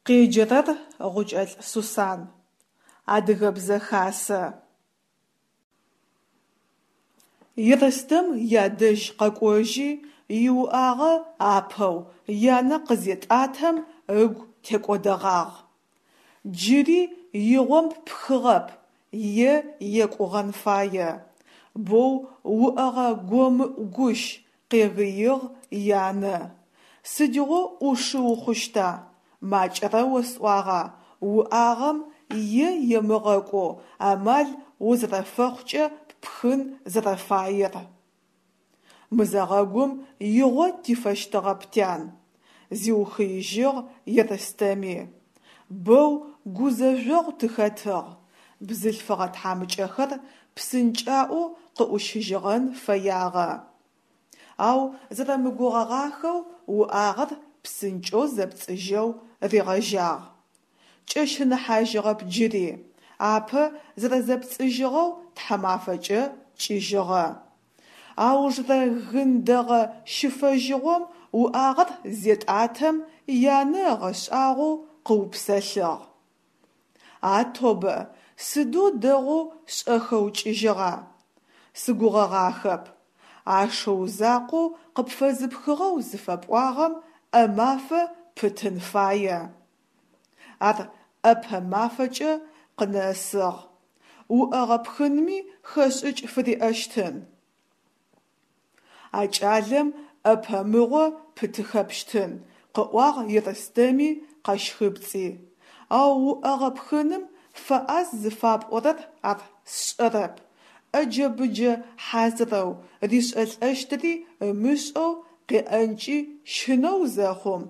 Къеджэрэр Гъукӏэлӏ Сусан. Адыгэбзэ хасэ. Ерстэм ядэжь къэкӏожьи, иуӏагъэ апэу янэ къызетӏатэм ыгу текӏодэгъагъ. Джыри игъом ппхыгъэп е екӏугъэн фае. Боу уӏэгъэ гомыӏу гущ, къегыигъ янэ. Сыдигъо ӏушы ухъущта? Макӏэрэ осӏуагъа уӏагъэм е емыгъэкӏоу амал узэрэфэхъукӏэ ппхын зэрэфаер. Мызэгъэгум игъо тифэщтыгъэп, тян, зиухыижьыгъ Ерстэми. Бэу гузэжъогъу тыхэтыгъ, бзылъфыгъэ тхьамыкӏэхэр псынкӏаӏоу къыӏущыжьыгъэн фэягъэ. Ау зэрэмыгугъэгъахэу уӏагъэр псынкӏэу зэпцӏыжьэу ригъэжьагъ. Кӏэщыныхьажьыгъэп джыри, апэ зэрэзэпцӏыжьыгъэу тхьамафэкӏэ кӏыжьыгъэ. Аужрэ гын дэгъэ щыфэжьыгъом уӏагъэр зетӏатэм янэ ыгъэшӏагъоу къыупсэлъыгъ. А тобэ, сыдэу дэгъоу шӏэхэу кӏыжьыгъа! Сыгугъэгъахэп. А шыу закъоу къыпфэзыпхыгъэу зыфэпӏуагъэм ӏэ мафэ пытын фае. Ар ӏэпэ мафэкӏэ къынэсыгъ. Уӏэгъэ пхынми хэшӏыкӏ фыриӏэщтын. А кӏалэм ӏэпэ мыгъо пытыхэпщтын, къыӏуагъ Ерстэми къэщхыпцӏи. Ау уӏэгъэ пхыным фэӏаз зыфапӏорэр ар сшӏэрэп. ӏэджэ-быджэ хьазырэу, ришӏэлӏэщтыри ымышӏэу къеӏэнкӏи щынэу зэхъум,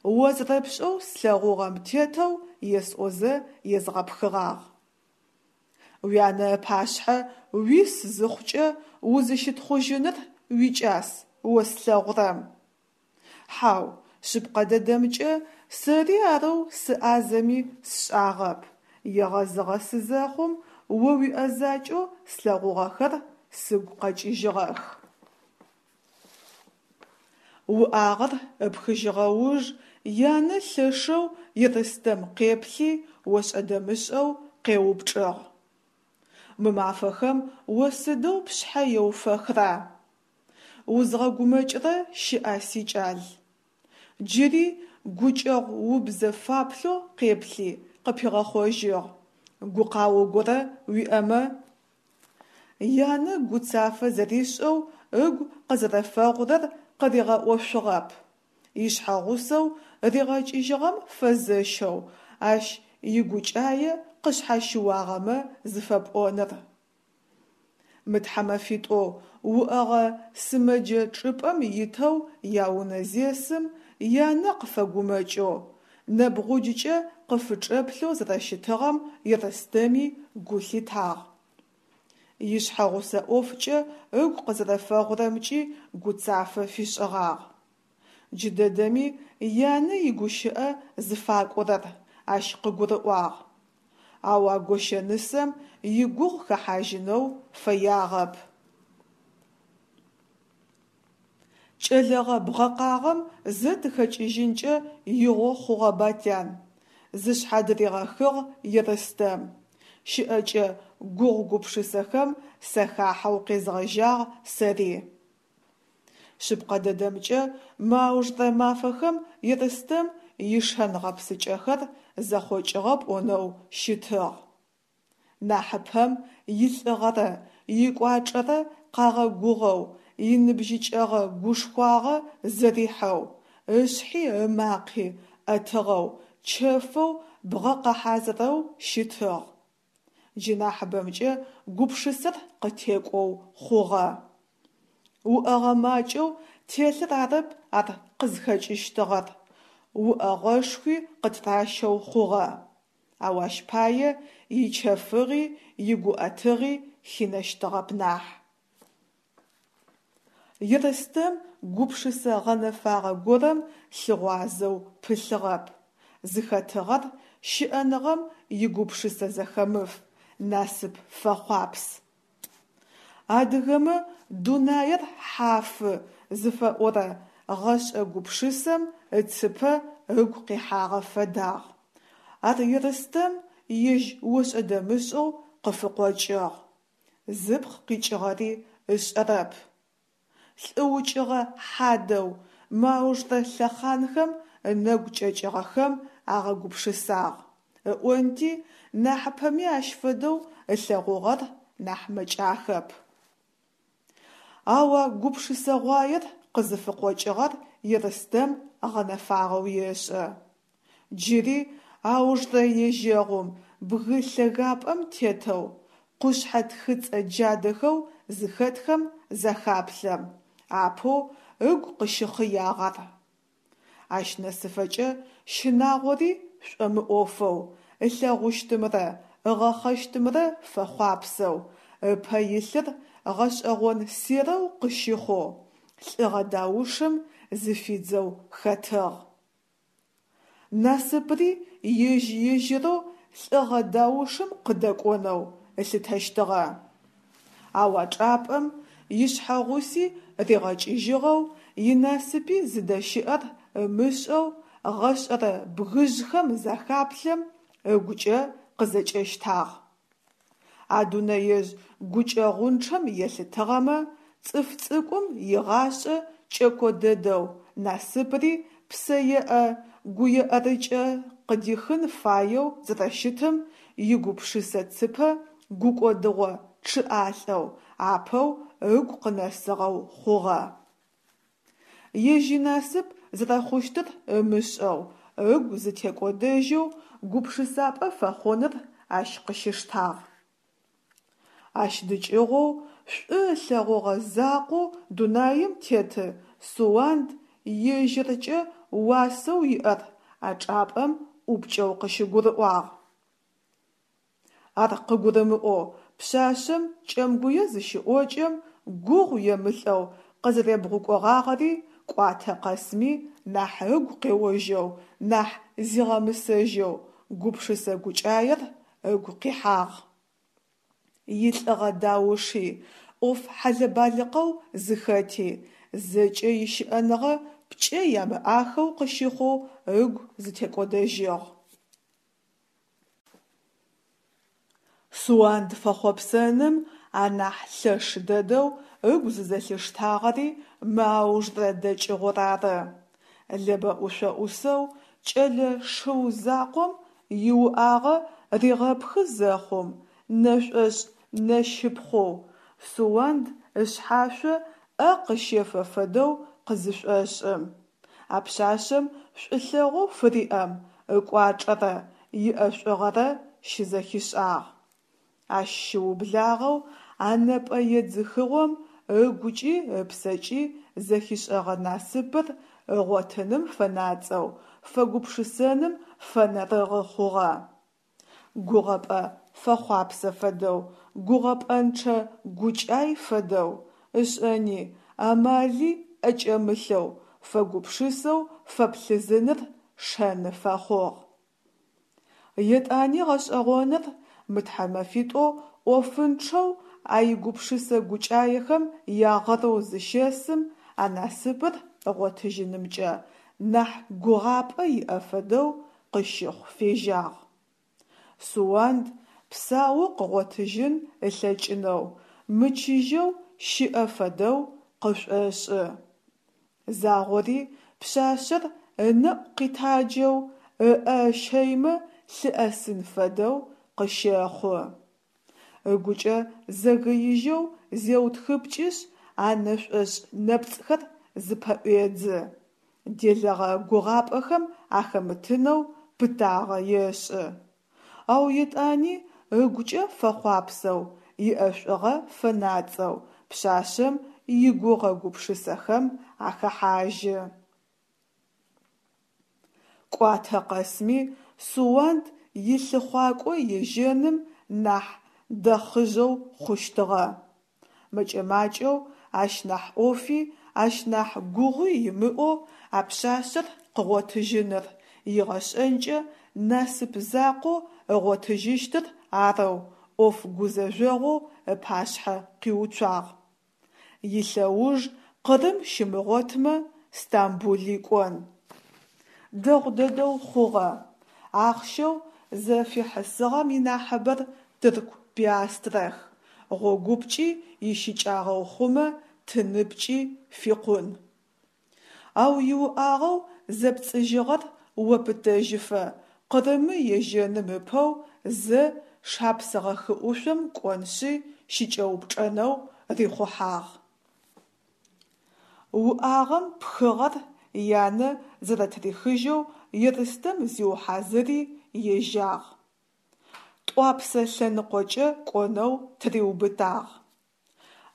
о зэрэпшӏэу слъэгъугъэм тетэу есӏозэ езгъэпхыгъагъ. Уянэ ыпашъхьэ уис зыхъукӏэ узыщытхъужьыныр уикӏас о слъэгъурэм. Хьау, шъыпкъэ дэдэмкӏэ, сэри арэу сыӏазэми сшӏагъэп, егъэзыгъэ сызэхъум о уиӏэзакӏэу слъэгъугъэхэр сыгу къэкӏыжьыгъэх. Уӏагъэр ыпхыжьыгъэ уж янэ лъэшэу Ерстэм къеплъи, ошӏэ-дэмышӏэу къеупчӏыгъ. Мы мафэхэм о сыдэу пшъхьэ еуфэхра? Узгъэгумэкӏырэ щыӏа, сикӏал? Джыри гукӏэгъу убзэ фаплъэу къеплъи, къыпигъэхъожьыгъ. Гукъао горэ уиӏэмэ? Янэ гуцафэ зэришӏэу ыгу къызэрэфэгъурэр къыригъэӏошъугъэп. Ишъхьэгъусэу ригъэкӏыжьыгъэм фэзэщэу ащ игукӏае къышъхьащыуагъэмэ зыфэпӏоныр. Мы тхьамэфитӏоу уӏэгъэ сымэджэ чӏыпӏэм итэу яунэ зесым, янэ къыфэгумэкӏэу, нэбгъуджкӏэ къыфычӏэплъэу зэрэщытыгъэм Ерстэми гу лъитагъ. Ишъхьэгъусэ ӏофкӏэ ыгу къызэрэфэгъурэмкӏи гуцафэ фишӏыгъагъ. Джыдэдэми янэ игущыӏэ зыфакӏорэр ащ къыгурыӏуагъ. Ау а гощэнысэм игугъу хэхьажьынэу фэягъэп. Кӏэлэгъэ бгъэкъагъэм зэ тыхэкӏыжьынкӏэ игъо хъугъэба, тян? Зышъхьадыригъэхыгъ Ерстэм. Щыӏэкӏэ гугъу гупшысэхэм сахахьэу къезгъэжьагъ сэри. Шъыпкъэ дэдэмкӏэ, мы аужрэ мафэхэм Ерстэм ишэн-гъэпсыкӏэхэр зэхъокӏыгъэ пӏонэу щытыгъ. Нахьыпэм илӏыгъэрэ икӏуачӏэрэ къагъэгугъэу, иныбжьыкӏэгъэ гушхуагъэ зэрихьэу, ышъхьи ымакъи ӏэтыгъэу, чэфэу бгъэкъэхьазырэу щытыгъ. Джы нахьыбэмкӏэ гупшысэр къытекӏоу хъугъэ. Уӏэгъэ макӏэу телъыр арэп ар къызхэкӏыщтыгъэр, уӏэгъэшхуи къытыращэу хъугъэ. Ау ащ пае ичэфыгъи игуӏэтыгъи хинэщтыгъэп нахь. Ерстэм гупшысэ гъэнэфагъэ горэм лъыгъуазэу пылъыгъэп. Зыхэтыгъэр щыӏэныгъэм игупшысэ зэхэмыф, насып фэхъуапс. Адыгэмэ дунаир хьафы зыфэӏорэ гъэшӏэ гупшысэм ыцыпэ ыгу къихьагъэ фэдагъ. Ар Ерстэм ежь ошӏэ-дэмышӏэу къыфыкъокӏыгъ, зыпкъ къикӏыгъэри ышӏэрэп. Лӏы укӏыгъэ хьадэу мы аужрэ лъэхъанхэм ынэгу кӏэкӏыгъэхэм агъэгупшысагъ, ыӏонти, нахьыпэми ащ фэдэу ылъэгъугъэр нахь мэкӏахэп. Ау а гупшысэгъуаер къызыфыкъокӏыгъэр Ерстэм гъэнэфагъэу ешӏэ. Джыри аужрэ ежьэгъум бгы лъэгапӏэм тетэу, къушъхьэ тхыцӏэ джадэхэу зыхэтхэм захаплъэм, апэу ыгу къыщыхъыягъ ар. Ащ нэсыфэкӏэ щынагъори шӏомыӏофэу, ылъэгъущтымрэ ыгъэхъэщтымрэ фэхъуапсэу, ыпэ илъыр гъэшӏэгъон серэу къыщыхъоу, лӏыгъэ даушым зыфидзэу хэтыгъ. Насыпри ежь-ежьырэу лӏыгъэ даушым къыдэкӏонэу ылъытэщтыгъэ. Ау а чӏапӏэм ишъхьэгъуси ригъэкӏыжьыгъэу, инасыпи зыдэщыӏэр ымышӏэу гъэшӏэрэ бгыжъхэм захаплъэм, ыгукӏэ къызэкӏэщтагъ. А дунэежъ гукӏэгъунчъэм елъытыгъэмэ, цӏыф цӏыкӏум игъашӏэ кӏэко дэдэу, насыпри псэеӏэ гуеӏэрыкӏэ къыдихын фаеу зэрэщытым игупшысэ цыпэ гукӏодыгъо чъыӏалӏэу апэу ыгу къынэсыгъэу хъугъэ. Ежь инасып зэрэхъущтыр ымышӏэу, ыгу зытекӏодэжьэу гупшысапӏэ фэхъуныр ащ къыщиштагъ. Ащ дыкӏыгъоу шӏу ылъэгъугъэ закъоу дунаим теты Суанд ежьыркӏэ уасэу иӏэр а чӏапӏэм ӏупкӏэу къыщыгурыӏуагъ. Ар къыгурымыӏоу пшъашъэм Кӏэмгуе зыщыӏокӏэм, гугъу емылӏэу къызэребгъукӏогъагъэри кӏуатэ къэсми нахь ыгу къеожьэу, нахь зигъэмысэжьэу гупшысэ гукӏаер ыгу къихьагъ. Илӏыгъэ дауши, ӏоф хьэлэ-балыкъэу зыхэти, зэкӏэ ищыӏэныгъэ пкӏэ ямыӏахэу къыщыхъоу ыгу зытекӏодэжьыгъ. Суанд фэхъопсэным анахь лъэш дэдэу ыгу зызэлъиштагъэри мы аужрэ дэкӏыгъор ары. Лэбэ ӏушъо ӏусэу кӏэлэ шыу закъом иуӏагъэ ригъэпхы зэхъум, нэшӏошӏ нэщыпхъоу Суанд ышъхьашъо ӏэ къыщефэ фэдэу къызышӏошӏым. А пшъашъэм шӏулъэгъоу фыриӏэм ыкӏуачӏэрэ иӏэшӏугъэрэ щызэхишӏагъ. Ащ щыублагъэу а нэпӏэ едзыхыгъом ыгукӏи ыпсэкӏи зэхишӏэгъэ насыпыр ыгъотыным фэнацӏэу, фэгупшысэным фэнэрыгъы хъугъэ. Гугъэпӏэ фэхъуапсэ фэдэу, гугъэпӏэнчъэ гукӏай фэдэу, ышӏэни, амали ӏэкӏэмылъэу, фэгупшысэу фэплъызыныр шэны фэхъугъ. Етӏани гъэшӏэгъоныр, мы тхьэмэфитӏоу ӏофынчъэу а игупшысэ гукӏаехэм ягъэрэу зыщэсым, а насыпыр ыгъотыжьынымкӏэ нахь гугъапӏэ иӏэ фэдэу къыщыхъу фежьагъ. Суанд псаоу къыгъотыжьын ылъэкӏынэу, мычыжьэу щыӏэ фэдэу къышӏошӏы. Загъори пшъашъэр ынэӏу къитаджэу, ыӏэ ыщэймэ лъыӏэсын фэдэу къыщэхъу. Ыгукӏэ зэгыижьэу зеутхыпкӏышъ, а нэшӏошӏ нэпцӏхэр зыпэӏуедзы, делэгъэ гугъапӏэхэм ахэмытынэу пытагъэ ешӏы. Ау етӏани ыгукӏэ фэхъуапсэу, иӏэшӏугъэ фэнацӏэу пшъашъэм игугъэ-гупшысэхэм ахэхьажьы. Кӏуатэ къэсми Суанд илъыхъуакӏо ежьэным нахь дэхъыжьэу хъущтыгъэ. Мэкӏэ-макӏэу ащ нахь ӏофи, ащ нахь гугъуи имыӏэу а пшъашъэр къыгъотыжьыныр, игъэшӏэнкӏэ насып закъоу ыгъотыжьыщтыр арэу ӏоф гузэжъогъоу ыпашъхьэ къиуцуагъ. Илъэуж Къырым щимыгъотмэ, Стамбули кӏон. Дэгъу дэдэу хъугъэ. Ахъщэу зэфихьысыгъэм инахьыбэр тырку пиастрэх, гъогупкӏи ищыкӏагъэу хъумэ, тыныпкӏи фикъун. Ау иуӏагъэу зэпцӏыжьыгъэр опытэжьыфэ Къырымы ежьэным ыпэу зэ Шапсыгъэ хыӏушъом кӏоншъи щыкӏэупчӏэнэу рихъухьагъ. Уӏагъэм пхыгъэр янэ зэрэтырихыжьэу Ерстэм зиухьазыри ежьагъ. Тӏуапсэ лъэныкъокӏэ кӏонэу тыриубытагъ.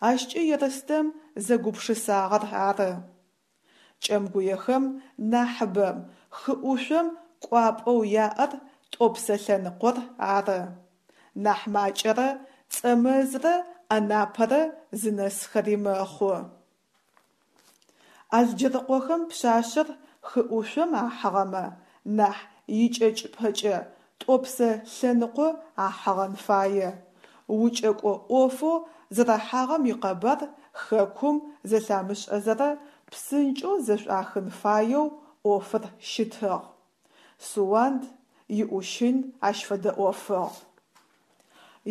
Ащкӏэ Ерстэм зэгупшысагъэр ары. Кӏэмгуехэм нахьыбэм хыӏушъом кӏуапӏэу яӏэр Тӏопсэ лъэныкъор ары. Нахь макӏэрэ Цӏэмэзрэ Анапэрэ зынэсхэри мэхъу. Алджэрыкъохэм пшъашъэр хыӏушъом ахьыгъэмэ, нахь икӏэкӏыпэкӏэ Тӏопсэ лъэныкъо ахьыгъэн фае. Укӏэкӏо ӏофэу зэрахьагъэм икъэбар хэкум зэлъамышӏэзэрэ псынкӏэу зэшӏуахын фаеу ӏофыр щытыгъ. Суанд иӏущын ащ фэдэ ӏофыгъ.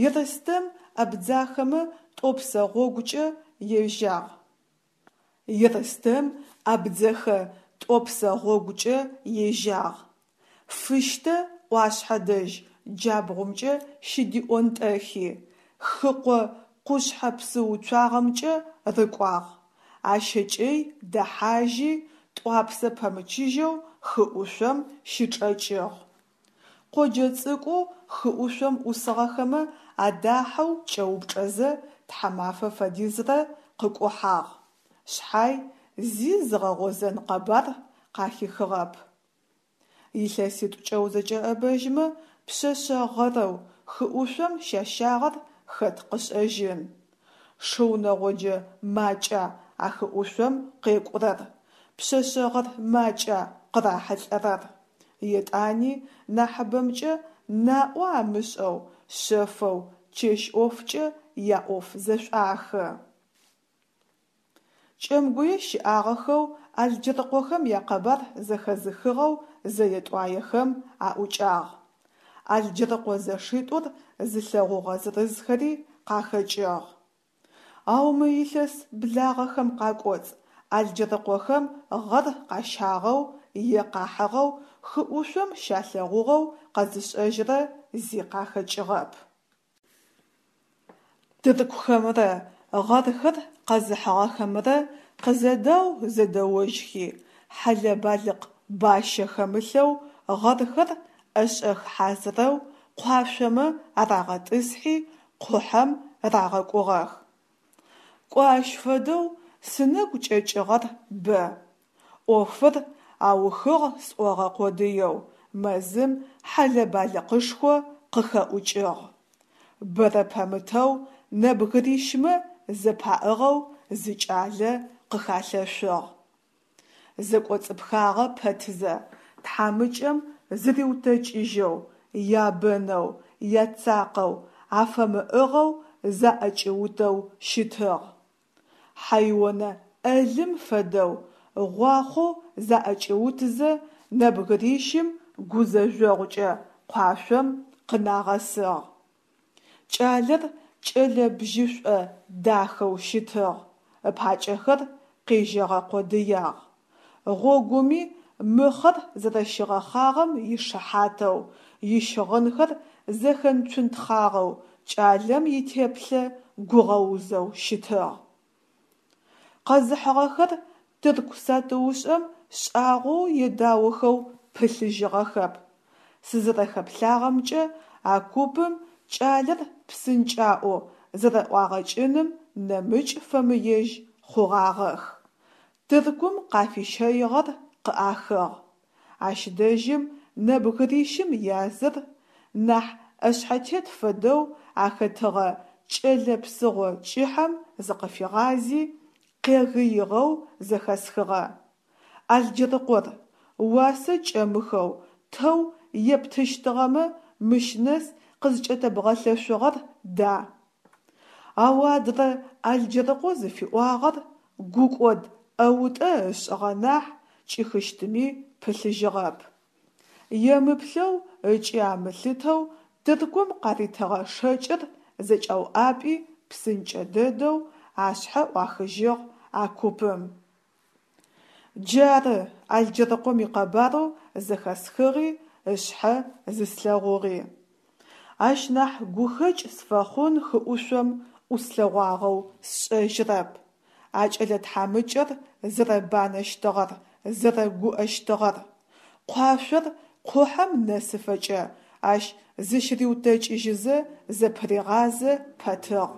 Ерстэм абдзахэмэ Тӏопсэ гъогукӏэ ежьагъ. Ерстэм абдзэхэ Тӏопсэ гъогукӏэ ежьагъ. Фыщтэ ӏуашъхьэ дэжь джабгъумкӏэ щыдиӏонтӏэхи, хыкъо къушъхьэ псыуцуагъэмкӏэ рыкӏуагъ, Ащэкӏэй дэхьажьи, Тӏуапсэ пэмычыжьэу хыӏушъом щычӏэкӏыгъ. Къоджэ цӏыкӏоу хыӏушъом ӏусыгъэхэмэ адахьэу кӏэупчӏэзэ тхьамафэ фэдизрэ къыкӏухьагъ, шъхьай зи зыгъэгъозэн къэбар къахихыгъэп. Илъэситӏукӏэ узэкӏэӏэбэжьмэ, пшъэшъэ гъэрэу хыӏушъом щащагъэр хэт къышӏэжьын. Шыу нэгъоджэ макӏа а хыӏушъом къекӏурэр, пшъэшъэ гъэр макӏа къырахьылӏэрэр. Етӏани нахьыбэмкӏэ наӏо амышӏэу, шъэфэу чэщ ӏофкӏэ яӏоф зэшӏуахы. Кӏэмгуе щыӏагъэхэу Алджэрыкъохэм якъэбар зэхэзыхыгъэу зэе-тӏуаехэм аӏукӏагъ. Алджэрыкъо зэшитӏур зылъэгъугъэ зырызхэри къахэкӏыгъ. Ау мы илъэс благъэхэм къакӏоцӏ Алджэрыкъохэм гъэр къащагъэу е къахьыгъэу хыӏушъом щалъэгъугъэу къэзышӏэжьырэ зи къахэкӏыгъэп. Тыркухэмрэ гъэрхэр къэзыхьыгъэхэмрэ къызэдау-зэдэожьхи, хьэлэ-балыкъ бащэ хэмылъэу гъэрхэр ӏэшӏэх хьазырэу къуашъомэ арагъэтӏысхьи, къухьэм рагъэкӏугъэх. Кӏо ащ фэдэу сынэгу кӏэкӏыгъэр бэ. ӏофыр аухыгъ сӏогъэ къодыеу мэзым хьэлэ-балыкъышхо къыхэӏукӏыгъ. Бэрэ пэмытэу нэбгырищмэ зэпаӏыгъэу зы кӏалэ къыхалъэшъугъ. Зэкӏоцӏыпхагъэ пэтзэ, тхьамыкӏэм зыриутэкӏыжьэу, ябэнэу, яцакъэу, афэмыӏыгъэу заӏэкӏиутэу щытыгъ. Хьэйонэ ӏэлым фэдэу гъуахъоу заӏэкӏиутызэ нэбгырищым гузэжъогъукӏэ къуашъом къынагъэсыгъ. Кӏалэр кӏэлэ бжьышӏо дахэу щытыгъ, ыпакӏэхэр къежьэгъэ къодыягъ. Гъогуми мыхъэр зэрэщигъэхъагъэм ишыхьатэу, ищыгъынхэр зэхэнцунтхъагъэу кӏалэм итеплъэ гугъэузэу щытыгъ. Къэзыхьыгъэхэр тырку сатыушӏэм шӏагъоу едаохэу пылъыжьыгъэхэп. Сызэрэхэплъагъэмкӏэ, а купым кӏалэр псынкӏаӏоу зэрэӏуагъэкӏыным нэмыкӏ фэмыежь хъугъагъэх. Тыркум къафищэигъэр къыӏахыгъ. Ащ дэжьым нэбгырищым языр, нахь ӏэшъхьэтет фэдэу ахэтыгъэ кӏэлэ псыгъо кӏыхьэм зыкъыфигъази, къегыигъэу зэхэсхыгъэ. Алджэрыкъор, уасэ кӏэмыхэу тэу ептыщтыгъэмэ мыщ нэс къызкӏэтэбгъэлъэшъугъэр да? Ау адрэ Алджэрыкъо зыфиӏуагъэр гукӏод ӏэутӏэ ышӏыгъэ нахь, кӏихыщтыми пылъыжьыгъэп. Емыплъэу ыкӏи амылъытэу Тыркум къаритыгъэ шэкӏыр зэкӏауӏапӏи псынкӏэ дэдэу ашъхьэ ӏуахыжьыгъ а купым. Джары Алджэрыкъом икъэбарэу зэхэсхыгъи ышъхьэ зыслъэгъугъи. Ащ нахь гухэкӏ сфэхъун хыӏушъом ӏуслъэгъуагъэу сшӏэжьырэп. А кӏэлэ тхьамыкӏэр зэрэбанэщтыгъэр, зэрэгуӏэщтыгъэр. Къуашъор къухьэм нэсыфэкӏэ ащ зыщыриутэкӏыжьызэ зэпыригъазэ пэтыгъ.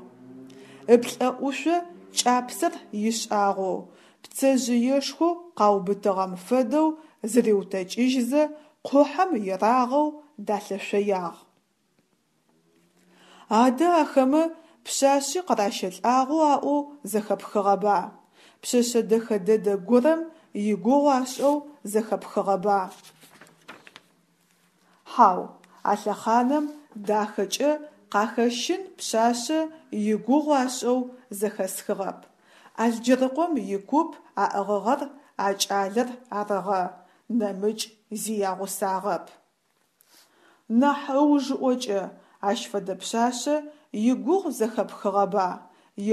Ыплӏэӏушъо кӏапсэр ишӏагъэу, пцэжъыешхоу къаубытыгъэм фэдэу зыриутэкӏыжьызэ къухьэм ерагъэу далъэшъоягъ. Адэ ахэмэ пшъашъи къыращэлӏагъэу аӏоу зэхэпхыгъэба? Пшъэшъэ дэхэ дэдэ горэм игугъу ашӏэу зэхэпхыгъэба? Хьау, а лъэхъанэм дахэкӏэ къахэщын пшъашъэ игугъу ашӏэу зэхэсхыгъэп. Алджэрыкъом икуп аӏыгъыгъэр а кӏалэр арыгъэ, нэмыкӏ зи ягъусагъэп. Нахь ыужыӏокӏэ ащ фэдэ пшъашъэ игугъу зэхэпхыгъэба?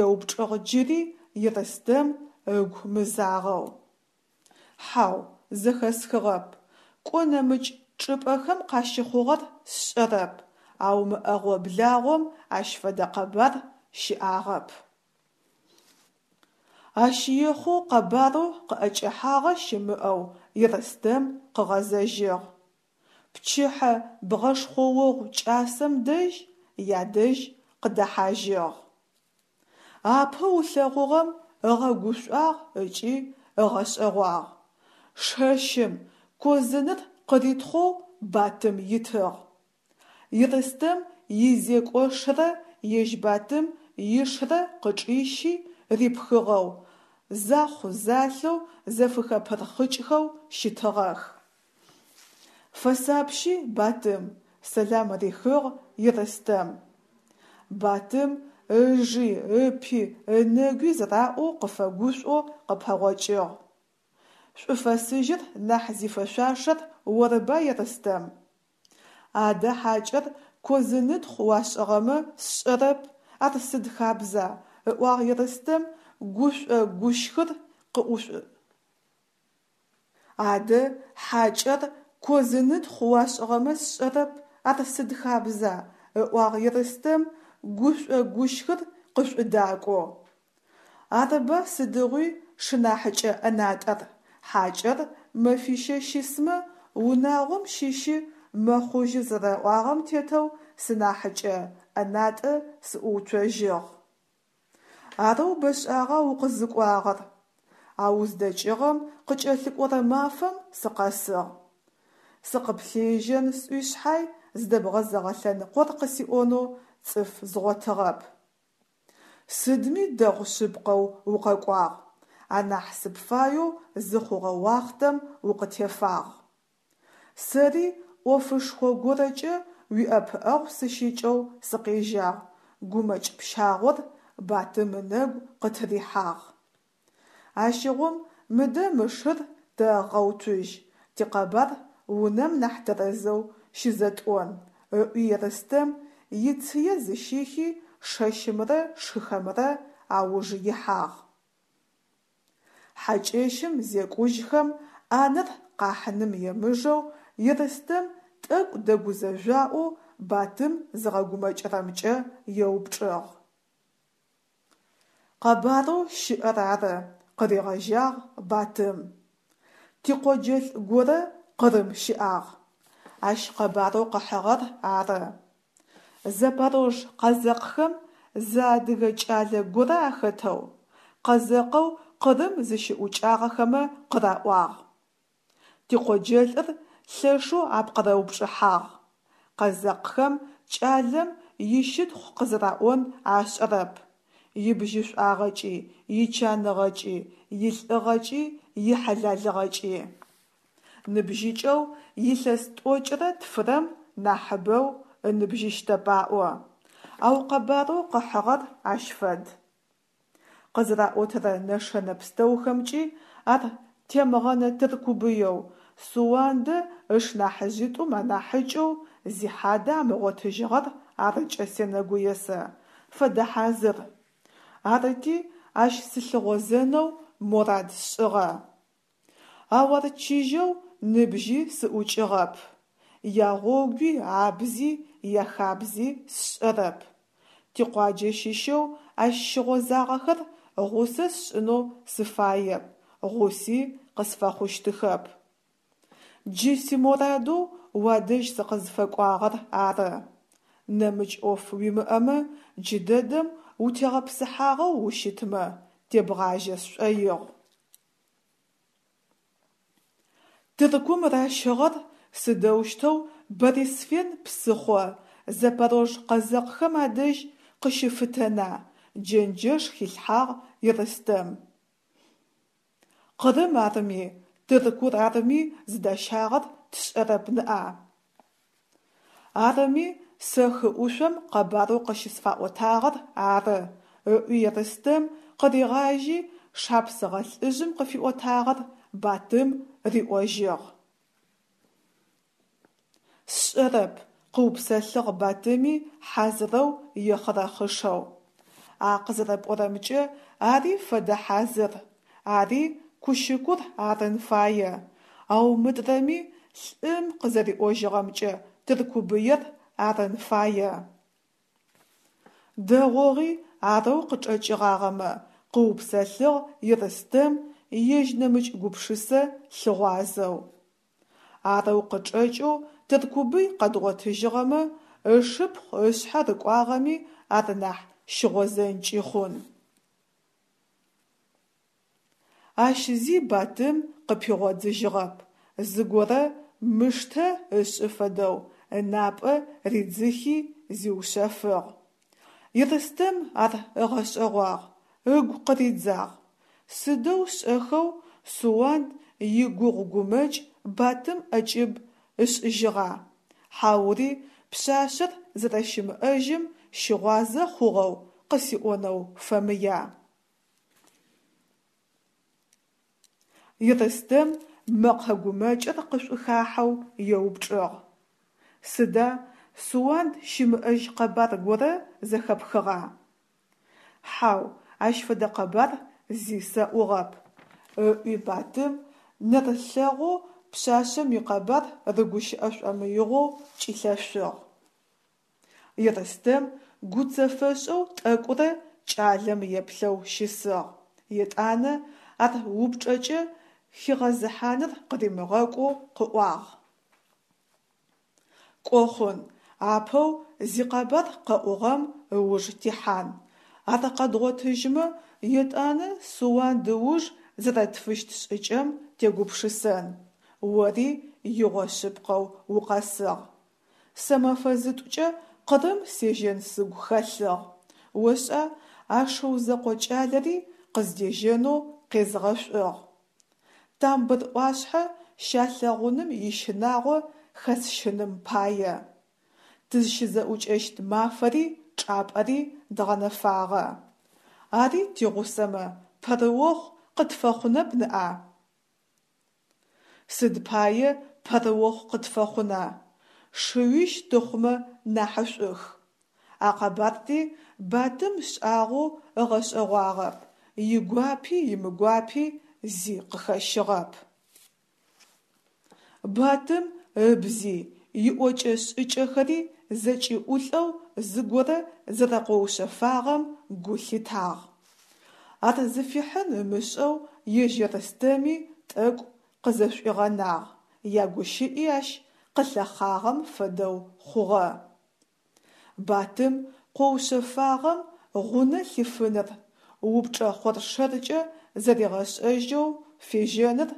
еупчӏыгъ джыри Ерстэм ыгу мызагъэу. Хьау, зэхэсхыгъэп. Кӏо нэмыкӏ чӏыпӏэхэм къащыхъугъэр сшӏэрэп, ау мы ӏэгъо-благъом ащ фэдэ къэбар щыӏагъэп. Ащ ехъоу къэбарэу къыӏэкӏэхьагъэ щымыӏэу Ерстэм къыгъэзэжьыгъ. Пчыхьэ бгъэшхъоогъу кӏасэм дэжь ядэжь къыдэхьажьыгъ. Апэу ылъэгъугъэм ыгъэгушӏуагъ ыкӏи ыгъэшӏэгъуагъ. Шэщым козыныр къыритхъоу Батым итыгъ. Ерстэм изекӏошрэ ежь Батым ишрэ къычӏищи рипхыгъэу, захъу-залъэу зэфыхэпырхъыкӏхэу щытыгъэх. Фэсапщи, Батым, сэлам рихыгъ Ерстэм. Батым ыжи, ыпи, ынэгуи зэраӏоу къыфэгушӏоу къыпэгъокӏыгъ. Шӏуфэсыжьыр нахь зифэшъуашэр орыба, Ерстэм? Адэ хьакӏэр козынытхъу уашӏыгъэмэ сшӏэрэп, ар сыд хабза, ыӏуагъ Ерстэм гушӏо-гущхыр къыӏушӏу. Адэ хьакӏэр козынытхъу уашӏыгъэмэ сшӏэрэп, ар сыд хабза, ыӏуагъ Ерстэм гушӏо-гущхыр къышӏудакӏоу. Арыба сыдигъуи шынахьыкӏэ ӏэнатӏэр, хьакӏэр мэфищэ щысмэ, унагъом щыщы мэхъужьы зэраӏуагъэм тетэу сынахьыкӏэ ӏэнатӏэ сыӏууцожьыгъ. Арэу бэшӏагъа укъызыкӏуагъэр? А уздэкӏыгъэм къыкӏэлъыкӏорэ мафэм сыкъэсыгъ. Сыкъыплъежьэн сӏуи шъхьай, зыдэбгъэзэгъэ лъэныкъор къысиӏонэу цӏыф згъотыгъэп. Сыдми дэгъу шъыпкъэу укъэкӏуагъ, анахь сыпфаеу зыхъугъэ уахътэм укъытефагъ. Сэри ӏофышхо горэкӏэ уиӏэпыӏэгъу сыщыкӏэу сыкъежьагъ, гумэкӏ пщагъор Батым ынэгу къытырихьагъ. Ащыгъум мыдэ мы шыр тэгъэуцужь, тикъэбар унэм нахь тэрэзэу щызэтӏон, ыӏуи Ерстэм ицые зыщихи шэщымрэ шыхэмрэ ауж ихьагъ. Хьакӏэщым зекӏужьхэм ӏанэр къахьыным емыжэу Ерстэм тӏэкӏу дэгузэжъуаӏоу Батым зыгъэгумэкӏырэмкӏэ еупчӏыгъ. Къэбарэу щыӏэр ары, къыригъэжьагъ Батым. Тикъоджэлӏ горэ Къырым щыӏагъ. Ащ къэбарэу къыхьыгъэр ары. Запорож къэзэкъхэм зы адыгэ кӏалэ горэ ахэтэу, къэзэкъэу Къырым зыщыӏукӏагъэхэмэ къыраӏуагъ. Тикъоджэлӏыр лъэшэу апкъырэупчӏыхьагъ. Къэзэкъхэм кӏалэм ищытхъу къызэраӏон ашӏэрэп. Ибжьышӏуагъэкӏи, ичаныгъэкӏи, илӏыгъэкӏи, ихьалэлыгъэкӏи. Ныбжьыкӏэу илъэс тӏокӏырэ тфырэм нахьыбэу ыныбжьыщтэп аӏо. Ау къэбарэу къыхьыгъэр ащ фэд. Къызэраӏотэрэ нэшэнэ пстэухэмкӏи ар Темгъэнэ Тыркубыеу Суандэ ышнахьыжъитӏум анахьыкӏэу зихьадэ амыгъотыжьыгъэр арыкӏэ сенэгуе сэ, фэдэ хьазыр. Арыти, ащ сылъыгъозэнэу морад сшӏыгъэ. Ау ар чыжьэу ныбжьи сыӏукӏыгъэп. Ягъогуи, абзи, яхабзи сшӏэрэп. Тикъуаджэ щыщэу ащ щыгъозагъэхэр гъусэ сшӏынэу сыфаеп, гъуси къысфэхъущтыхэп. Джы симорадэу уадэжь сыкъызфэкӏуагъэр ары. Нэмыкӏ ӏоф уимыӏэмэ, джыдэдэм утегъэпсыхьагъэу ущытмэ, тебгъажьэ сшӏоигъу. Тыркум ращыгъэр сыдэущтэу Борисфен псыхъо запорож къэзэкъхэм адэжь къыщыфытэна, джэнджэш хилъхьагъ Ерстэм. Къырым арми, Тыркур арми зыдащагъэр тшӏэрэп ныӏа. Арыми, сэ хы ӏушъом къэбарэу къыщысфаӏотагъэр ары, ыӏуи Ерстэм къыригъажьи, шапсыгъэ лӏыжъым къыфиӏотагъэр Батым риӏожьыгъ. Сшӏэрэп, къыупсэлъыгъ Батыми хьазырэу ехъырэхъышэу. А къызэрэпӏорэмкӏэ, ари фэдэ хьазыр. Ари Кущыкур арын фае. Ау мыдрэми, лӏым къызэриӏожьыгъэмкӏэ, Тыркубыер арын фае. Дэгъугъи арэу къычӏэкӏыгъагъэмэ, къыупсэлъыгъ Ерстэм ежь нэмыкӏ гупшысэ лъыгъуазэу. Арэу къычӏэкӏэу Тыркубый къэдгъотыжьыгъэмэ, ышыпхъу ышъхьэ рыкӏуагъэми ар нахь щыгъозэнкӏи хъун. Ащ зи Батым къыпигъодзыжьыгъэп, зыгорэ мыштэ ышӏы фэдэу ынапӏэ ридзыхи, зиушъэфыгъ. Ерстэм ар ыгъэшӏэгъуагъ, ыгу къыридзагъ. Сыдэу шӏэхэу Суанд игугъу-гумэкӏ Батым ӏэкӏыб ышӏыжьыгъа, хьаури пшъашъэр зэрэщымыӏэжьым щыгъуазэ хъугъэу къысиӏонэу фэмыя? Ерстэм мэкъэ гумэкӏыр къышӏухахьэу еупчӏыгъ: Сыда, Суанд щымыӏэжь къэбар горэ зэхэпхыгъа? Хьау, ащ фэдэ къэбар зи сэӏугъэп, ыӏуи Батым, нэрылъэгъоу пшъашъэм икъэбар рыгущыӏэ шӏомыигъоу кӏилъэшъугъ. Ерстэм гуцэфэшӏэу тӏэкӏурэ кӏалэм еплъэу щысыгъ, етӏанэ ар упчӏэкӏэ хигъэзыхьаныр къыримыгъэкӏоу къыӏуагъ. Кӏо хъун, апэу зикъэбар къэӏугъэм ыуж тихьан. Ар къэдгъотыжьмэ, етӏанэ Суанд ыуж зэрэтфыщт шӏыкӏэм тегупшысэн. Ори игъо шъыпкъэу укъэсыгъ. Сэ мэфэ зытӏукӏэ Къырым сежьэн сыгу хэлъыгъ. Ошӏа, а шыу зэкъо кӏалэри къыздежьэнэу къезгъэшӏугъ. Тамбыр ӏуашъхьэ щалъэгъуным ищынагъо хэсщыным пае. Тызщызэӏукӏэщт мафэри чӏапӏэри дгъэнэфагъэ. Ари тигъусэмэ, пэрыохъу къытфэхъунэп ныӏа? Сыд пае пэрыохъу къытфэхъуна, шыуищ тыхъумэ нахьышӏух. А къэбарти Батым шӏагъоу ыгъэшӏэгъуагъэп, игуапи имыгуапи зи къыхэщыгъэп. Батым ыбзи, иӏокӏэ-шӏыкӏэхэри зэкӏиӏулӏэу зыгорэ зэрэкъоушъэфагъэм гу лъитагъ. Ар зыфихьын ымышӏэу ежь Ерстэми тӏэкӏу къызэшӏуигъэнагъ, ягущыӏи ащ къылъэхъагъэм фэдэу хъугъэ. Батым къоушъэфагъэм гъунэ лъифыныр, упчӏэ хъоршэркӏэ зэригъэшӏэжьэу фежьэныр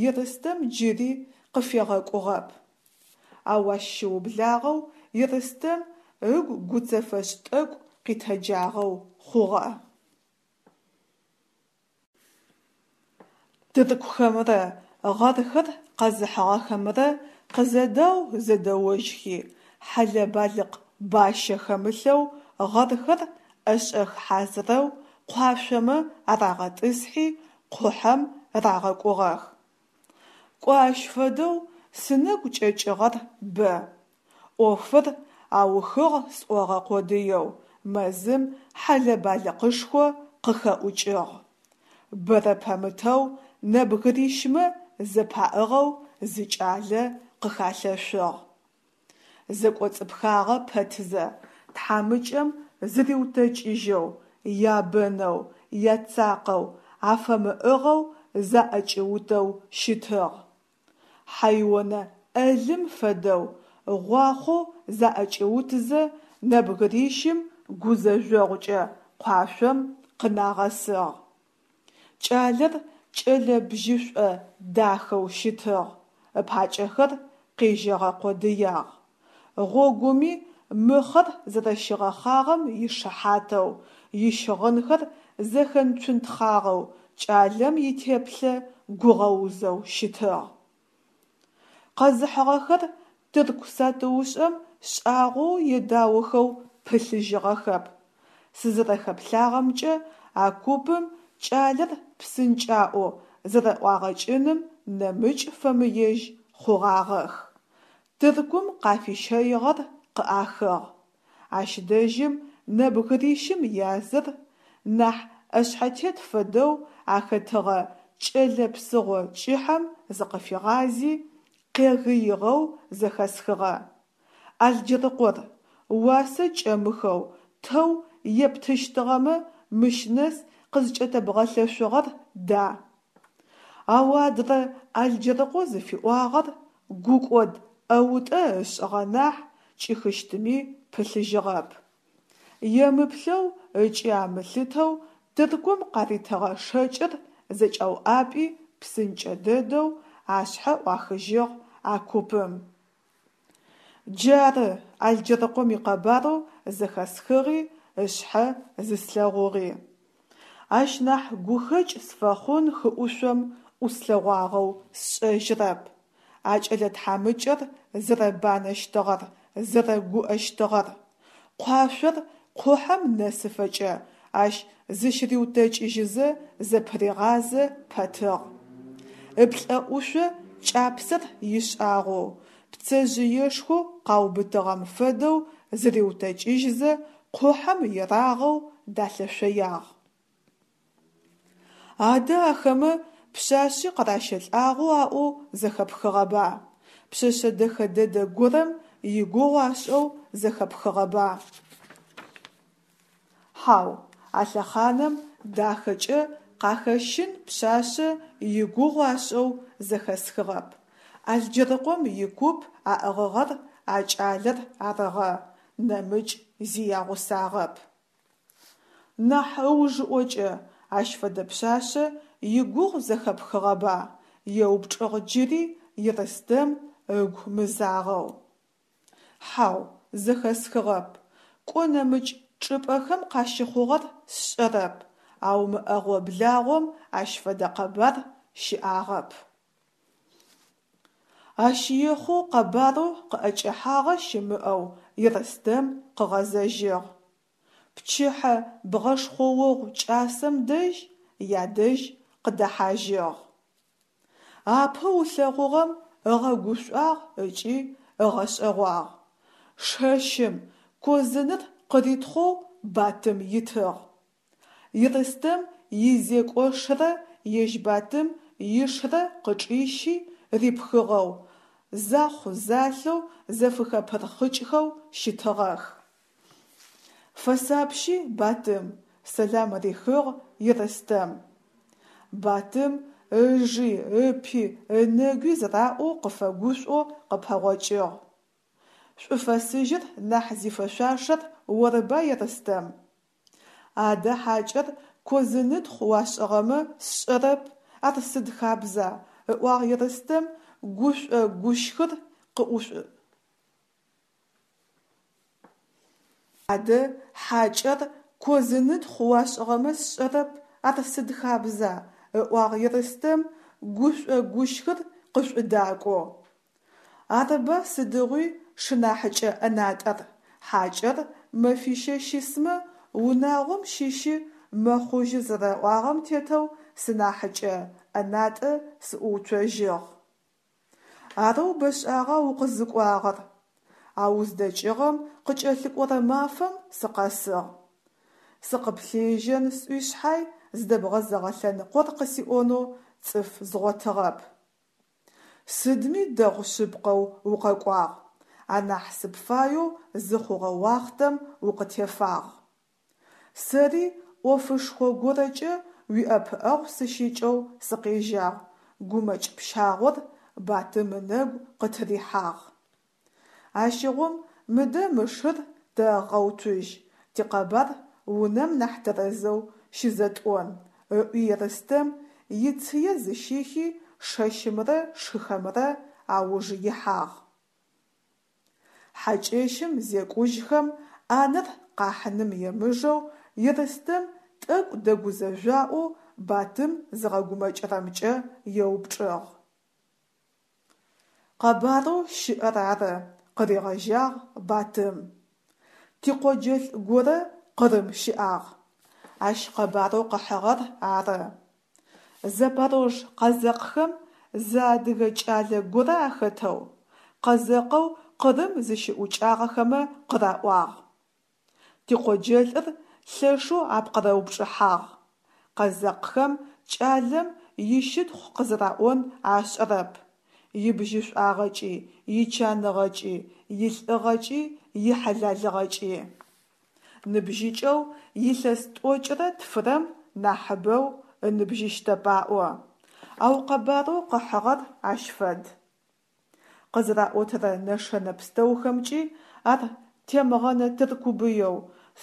Ерстэм джыри къыфегъэкӏугъэп. Ау ащ щыублагъэу Ерстэм ыгу гуцэфэшӏ тӏэкӏу къитэджагъэу хъугъэ. Тыркухэмрэ гъэрхэр къэзыхьыгъэхэмрэ къызэдау-зэдэожьхи, хьэлэ-балыкъ бащэ хэмылъэу гъэрхэр ӏэшӏэх хьазырэу къуашъомэ арагъэтӏысхьи, къухьэм рагъэкӏугъэх. Кӏо ащ фэдэу Сынэгу кӏэкӏыгъэр бэ. ӏофыр аухыгъ сӏогъэ къодыеу мэзым хьэлэ-балыкъышхо къыхэӏукӏыгъ. Бэрэ пэмытэу нэбгырищмэ зэпаӏыгъэу зы кӏалэ къыхалъэшъугъ. Зэкӏоцӏыпхагъэ пэтзэ, тхьамыкӏэм зыриутэкӏыжьэу, ябэнэу, яцакъэу, афэмыӏыгъэу заӏэкӏиутэу щытыгъ. Хьэйонэ ӏэлым фэдэу гъуахъоу заӏэкӏиутызэ нэбгырищым гузэжъогъукӏэ къуашъом къынагъэсыгъ. Кӏалэр кӏэлэ бжьышӏо дахэу щытыгъ, ыпакӏэхэр къежьэгъэ къодыягъ. Гъогуми мыхъэр зэрэщигъэхъагъэм ишыхьатэу, ищыгъынхэр зэхэнцунтхъагъэу кӏалэм итеплъэ гугъэузэу щытыгъ. Къэзыхьыгъэхэр тырку сатыушӏэм шӏагъоу едаохэу пылъыжьыгъэхэп. Сызэрэхэплъагъэмкӏэ, а купым кӏалэр псынкӏаӏоу зэрэӏуагъэкӏыным нэмыкӏ фэмыежь хъугъагъэх. Тыркум къафищэигъэр къыӏахыгъ. Ащ дэжьым нэбгырищым языр, нахь ӏэшъхьэтет фэдэу ахэтыгъэ кӏэлэ псыгъо кӏыхьэм зыкъыфигъази, къегыигъэу зэхэсхыгъэ: «Алджэрыкъор, уасэ кӏэмыхэу тэу ептыщтыгъэмэ мыщ нэс къызкӏэтэбгъэлъэшъугъэр да?» Ау адрэ Алджэрыкъо зыфиӏуагъэр гукӏод ӏэутӏэ ышӏыгъэ нахь, кӏихыщтыми пылъыжьыгъэп. Емыплъэу ыкӏи амылъытэу Тыркум къаритыгъэ шэкӏыр зэкӏауӏапӏи псынкӏэ дэдэу ашъхьэ ӏуахыжьыгъ а купым. Джары Алджэрыкъом икъэбарэу зэхэсхыгъи ышъхьэ зыслъэгъугъи. Ащ нахь гухэкӏ сфэхъун хыӏушъом ӏуслъэгъуагъэу сшӏэжьырэп. А кӏэлэ тхьамыкӏэр зэрэбанэщтыгъэр, зэрэгуӏэщтыгъэр. Къуашъор къухьэм нэсыфэкӏэ ащ зыщыриутэкӏыжьызэ зэпыригъазэ пэтыгъ. Ыплӏэӏушъо кӏапсэр ишӏагъэу, пцэжъыешхоу къаубытыгъэм фэдэу зыриутэкӏыжьызэ къухьэм ерагъэу далъэшъоягъ. Адэ ахэмэ пшъашъи къыращэлӏагъэу аӏоу зэхэпхыгъэба? Пшъэшъэ дэхэ дэдэ горэм игугъу ашӏэу зэхэпхыгъэба? Хьау, а лъэхъанэм дахэкӏэ къахэщын пшъашъэ игугъу ашӏэу зэхэсхыгъэп. Алджэрыкъом икуп аӏыгъыгъэр а кӏалэр арыгъэ, нэмыкӏ зи ягъусагъэп. Нахь ыужыӏокӏэ ащ фэдэ пшъашъэ игугъу зэхэпхыгъэба? еупчӏыгъ джыри Ерстэм ыгу мызагъэу. Хьау, зэхэсхыгъэп. Кӏо нэмыкӏ чӏыпӏэхэм къащыхъугъэр сшӏэрэп, ау мы ӏэгъо-благъом ащ фэдэ къэбар щыӏагъэп. Ащ ехъоу къэбарэу къыӏэкӏэхьагъэ щымыӏэу Ерстэм къыгъэзэжьыгъ. Пчыхьэ бгъэшхъоогъу кӏасэм дэжь ядэжь къыдэхьажьыгъ. Апэу ылъэгъугъэм ыгъэгушӏуагъ ыкӏи ыгъэшӏэгъуагъ. Шэщым козыныр къыритхъоу Батым итыгъ. Ерстэм изекӏошрэ ежь Батым ишрэ къычӏищи рипхыгъэу, захъу-залъэу зэфыхэпырхъыкӏхэу щытыгъэх. Фэсапщи, Батым, сэлам рихыгъ Ерстэм. Батым ыжи, ыпи, ынэгуи зэраӏоу къыфэгушӏоу къыпэгъокӏыгъ. Шӏуфэсыжьыр нахь зифэшъуашэр орыба, Ерстэм? Адэ хьакӏэр козынытхъу уашӏыгъэмэ сшӏэрэп, ар сыд хабза, ыӏуагъ Ерстэм гушӏо-гущхыр къыӏушӏу. Адэ хьакӏэр козынытхъу уашӏыгъэмэ сшӏэрэп, ар сыд хабза, ыӏуагъ Ерстэм гушӏо-гущхыр къышӏудакӏоу. Арыба сыдигъуи шынахьыкӏэ ӏэнатӏэр, хьакӏэр мэфищэ щысмэ, унагъом щыщы мэхъужьы зэраӏуагъэм тетэу сынахьыкӏэ ӏэнатӏэ сыӏууцожьыгъ. Арэу бэшӏагъа укъызыкӏуагъэр? А уздэкӏыгъэм къыкӏэлъыкӏорэ мафэм сыкъэсыгъ. Сыкъыплъежьэн сӏуи шъхьай, зыдэбгъэзэгъэ лъэныкъор къысиӏонэу цӏыф згъотыгъэп. Сыдми дэгъу шъыпкъэу укъэкӏуагъ, анахь сыпфаеу зыхъугъэ уахътэм укъытефагъ. Сэри ӏофышхо горэкӏэ уиӏэпыӏэгъу сыщыкӏэу сыкъежьагъ, гумэкӏ пщагъор Батым ынэгу къытырихьагъ. Ащыгъум мыдэ мы шыр тэгъэуцужь, тикъэбар унэм нахь тэрэзэу щызэтӏон, ыӏуи Ерстэм ицые зыщихи шэщымрэ шыхэмрэ ауж ихьагъ. Хьакӏэщым зекӏужьхэм ӏанэр къахьыным емыжэу Ерстэм тӏэкӏу дэгузэжъуаӏоу Батым зыгъэгумэкӏырэмкӏэ еупчӏыгъ. Къэбарэу щыӏэр ары, къыригъэжьагъ Батым. Тикъоджэлӏ горэ Къырым щыӏагъ. Ащ къэбарэу къыхьыгъэр ары. Запорож къэзэкъхэм зы адыгэ кӏалэ горэ ахэтэу, къэзэкъэу Къырым зыщыӏукӏагъэхэмэ къыраӏуагъ. Тикъоджэлӏыр лъэшэу апкъырэупчӏыхьагъ. Къэзэкъхэм кӏалэм ищытхъу къызэраӏон ашӏэрэп, ибжьышӏуагъэкӏи, ичаныгъэкӏи, илӏыгъэкӏи, ихьалэлыгъэкӏи. Ныбжьыкӏэу илъэс тӏокӏырэ тфырэм нахьыбэу ыныбжьыщтэп аӏо. Ау къэбарэу къыхьыгъэр ащ фэд. Къызэраӏотэрэ нэшэнэ пстэухэмкӏи ар Темгъэнэ Тыркубыеу,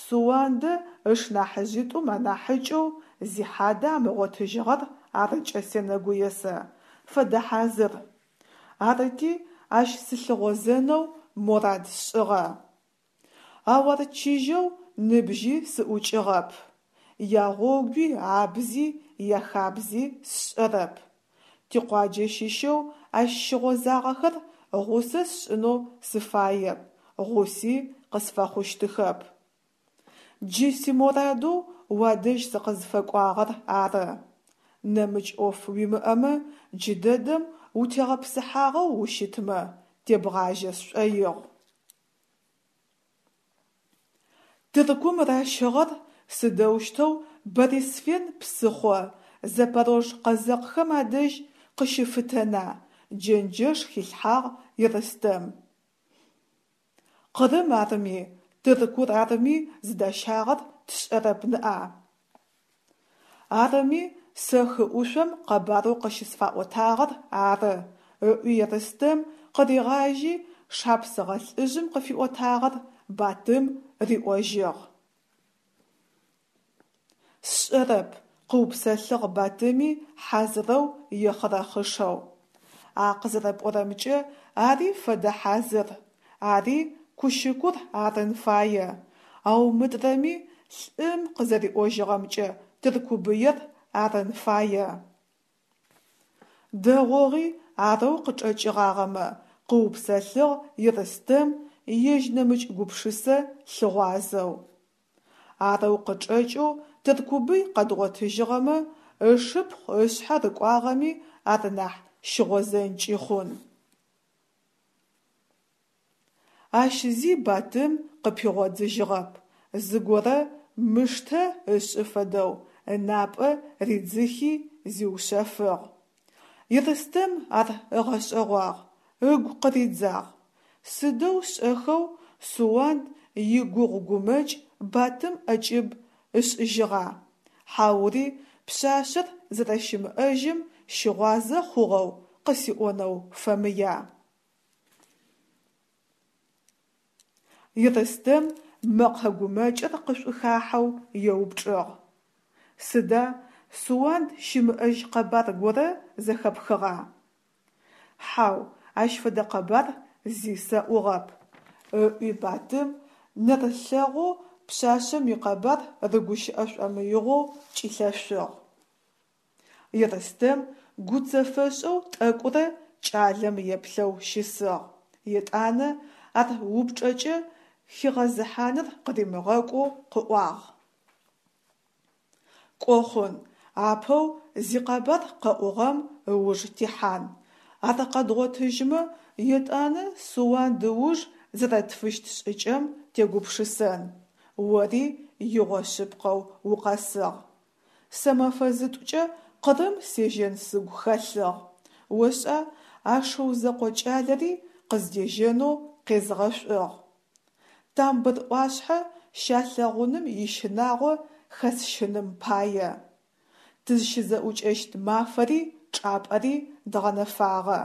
Суандэ ышнахьыжъитӏум анахьыкӏэу зихьадэ амыгъотыжьыгъэр арыкӏэ сенэгуе сэ, фэдэ хьазыр. Арыти, ащ сылъыгъозэнэу морад сшӏыгъэ. Ау ар чыжьэу ныбжьи сыӏукӏыгъэп. Ягъогуи, абзи, яхабзи сшӏэрэп. Тикъуаджэ щыщэу ащ щыгъозагъэхэр гъусэ сшӏынэу сыфаеп, гъуси къысфэхъущтыхэп. Джы симорадэу уадэжь сыкъызфэкӏуагъэр ары. Нэмыкӏ ӏоф уимыӏэмэ, джыдэдэм утегъэпсыхьагъэу ущытмэ, тебгъажьэ сшӏоигъу. Тыркум ращыгъэр сыдэущтэу Борисфен псыхъо Запорож къэзэкъхэм адэжь къыщыфытэна, джэнджэш хилъхьагъ Ерстэм. Къырым арми, Тыркур арми зыдащагъэр тшӏэрэп ныӏа. Арыми, сэ хы ӏушъом къэбарэу къыщысфаӏотагъэр ары, ыӏуи Ерстэм къыригъажьи, шапсыгъэ лӏыжъым къыфиӏотагъэр Батым риӏожьыгъ. Сшӏэрэп, къыупсэлъыгъ Батыми хьазырэу ехъырэхъышэу. А къызэрэпӏорэмкӏэ, ари фэдэ хьазыр, ари Кущыкур арын фае, ау мыдрэми лӏым къызэриӏожьыгъэмкӏэ Тыркубыер арын фае. Дэгъугъи арэу къычӏэкӏыгъагъэмэ, къыупсэлъыгъ Ерстэм ежь нэмыкӏ гупшысэ лъыгъуазэу. Арэу къычӏэкӏэу Тыркубый къэдгъотыжьыгъэмэ, ышыпхъу ышъхьэ рыкӏуагъэми ар нахь щыгъозэнкӏи хъун. Ащ зи Батым къыпигъодзыжьыгъэп, зыгорэ мыштэ ышӏы фэдэу ынапӏэ ридзыхи зиушъэфыгъ. Ерстэм ар ыгъэшӏэгъуагъ, ыгу къыридзагъ. Сыдэу шӏэхэу Суанд игугъу-гумэкӏ Батым ӏэкӏыб ышӏыжьыгъа, хьаури пшъашъэр зэрэщымыӏэжьым щыгъуазэ хъугъэу къысиӏонэу фэмыя? Ерстэм мэкъэ гумэкӏыр къышӏухахьэу еупчӏыгъ. Сыда, Суанд щымыӏэжь къэбар горэ зэхэпхыгъа? Хьау, ащ фэдэ къэбар зи сэӏугъэп, ыӏуи Батым, нэрылъэгъоу пшъашъэм икъэбар рыгущыӏэ шӏомыигъоу кӏилъэшъугъ. Ерстэм гуцэфэшӏэу тӏэкӏурэ кӏалэм еплъэу щысыгъ, етӏанэ ар упчӏэкӏэ хигъэзыхьаныр къыримыгъэкӏоу къыӏуагъ. Кӏо хъун, апэу зикъэбар къэӏугъэм ыуж тихьан. Ар къэдгъотыжьмэ, етӏанэ Суанд ыуж зэрэтфыщт шӏыкӏэм тегупшысэн. Ори игъо шъыпкъэу укъэсыгъ. Сэ мэфэ зытӏукӏэ Къырым сежьэн сыгу хэлъыгъ. Ошӏа, а шыу зэкъо кӏалэри къыздежьэнэу къезгъэшӏугъ. Тамбыр ӏуашъхьэ щалъэгъуным ищынагъо хэсщыным пае. Тызщызэӏукӏэщт мафэри чӏапӏэри дгъэнэфагъэ.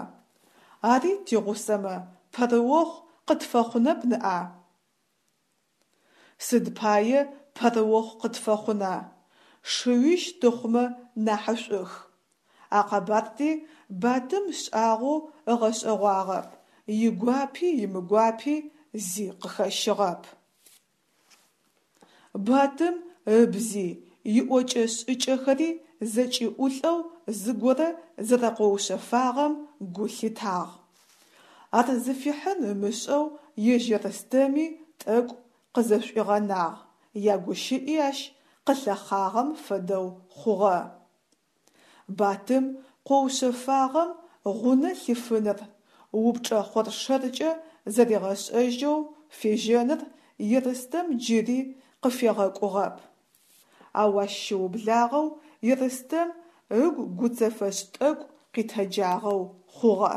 Ари тигъусэмэ, пэрыохъу къытфэхъунэп ныӏа? Сыд пае пэрыохъу къытфэхъуна, шыуищ тыхъумэ нахьышӏух. А къэбарри Батым шӏагъоу ыгъэшӏэгъуагъэп, игуапи имыгуапи зи къыхэщыгъэп. Батым ыбзи, иӏокӏэ-шӏыкӏэхэри зэкӏиӏулӏэу зыгорэ зэрэкъоушъэфагъэм гу лъитагъ. Ар зыфихьын ымышӏэу ежь Ерстэми тӏэкӏу къызэшӏуигъэнагъ, ягущыӏи ащ къылъэхъагъэм фэдэу хъугъэ. Батым къоушъэфагъэм гъунэ лъифыныр, упчӏэ хъоршэркӏэ зэригъэшӏэжьэу фежьэныр Ерстэм джыри къыфегъэкӏугъэп. Ау ащ щыублагъэу Ерстэм ыгу гуцэфэшӏ тӏэкӏу къитэджагъэу хъугъэ.